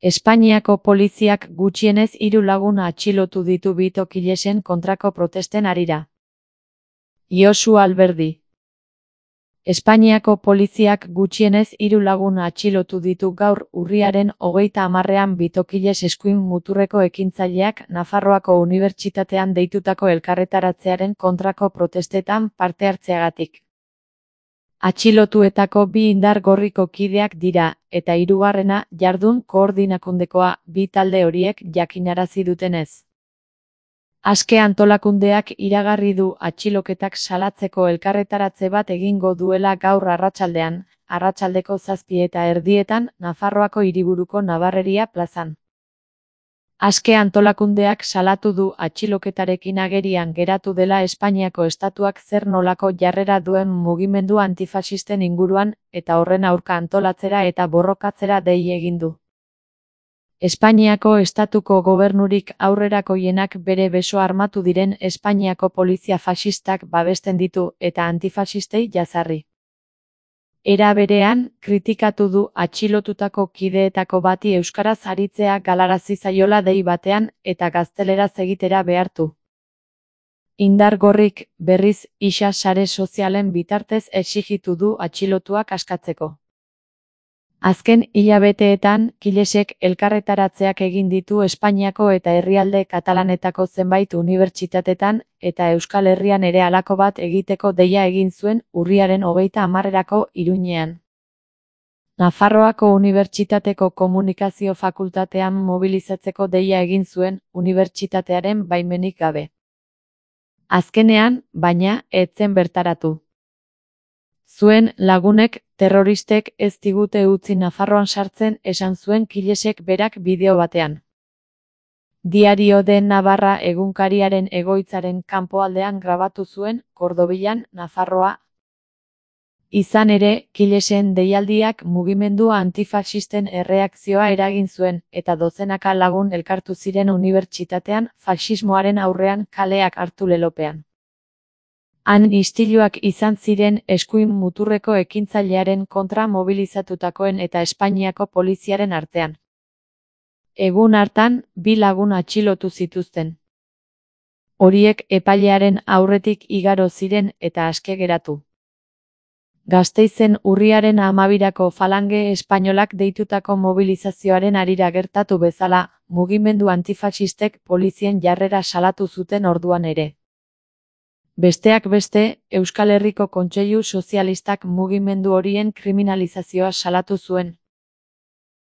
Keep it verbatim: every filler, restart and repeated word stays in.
Espainiako poliziak gutxienez hiru lagun atxilotu ditu bitokilesen kontrako protesten harira. Josu Alberdi. Espainiako poliziak gutxienez hiru lagun atxilotu ditu gaur urriaren hogeita hamarrean bitokiles eskuin muturreko ekintzaileak Nafarroako Unibertsitatean deitutako elkarretaratzearen kontrako protestetan parte hartzeagatik. Atxilotuetako bi indar gorriko kideak dira, eta hirugarrena jardun koordinakundekoa, bi talde horiek jakinarazi dutenez. Aske antolakundeak iragarri du atxiloketak salatzeko elkarretaratze bat egingo duela gaur arratsaldean, arratsaldeko zazpi eta erdietan Nafarroako hiriburuko Nabarreria plazan. Aske antolakundeak salatu du atxiloketarekin agerian geratu dela Espainiako estatuak zer nolako jarrera duen mugimendu antifaxisten inguruan eta horren aurka antolatzera eta borrokatzera dei egin du. Espainiako estatuko gobernurik aurrerakoienak bere beso armatu diren Espainiako polizia faxistak babesten ditu eta antifaxistei jazarri. Era berean, kritikatu du atxilotutako kideetako bati euskaraz aritzea galarazi zaiola dei batean eta gazteleraz egitera behartu. Indar gorrik, berriz, isa sare sozialen bitartez exigitu du atxilotuak askatzeko. Azken hilabeteetan, kilesek elkarretaratzeak egin ditu Espainiako eta herrialde katalanetako zenbait unibertsitatetan, eta Euskal Herrian ere halako bat egiteko deia egin zuen urriaren hogeita hamarrerako Iruñean. Nafarroako Unibertsitateko Komunikazio Fakultatean mobilizatzeko deia egin zuen, unibertsitatearen baimenik gabe. Azkenean, baina, ez zen bertaratu. Zuen lagunek, terroristek ez digute utzi Nafarroan sartzen esan zuen kilesek berak bideo batean. Diario de Navarra egunkariaren egoitzaren kanpoaldean grabatu zuen, Kordobilan, Nafarroa. Izan ere, kilesen deialdiak mugimendu antifaxisten erreakzioa eragin zuen, eta dozenaka lagun elkartu ziren unibertsitatean faxismoaren aurrean kaleak hartu lelopean. Han istiluak izan ziren eskuin muturreko ekintzailearen kontra mobilizatutakoen eta Espainiako poliziaren artean. Egun hartan, bi lagun atxilotu zituzten. Horiek epailearen aurretik igaro ziren eta aske geratu. Gasteizen urriaren hamabirako falange espainolak deitutako mobilizazioaren harira gertatu bezala, mugimendu antifaxistek polizien jarrera salatu zuten orduan ere. Besteak beste, Euskal Herriko Kontseilu Sozialistak mugimendu horien kriminalizazioa salatu zuen.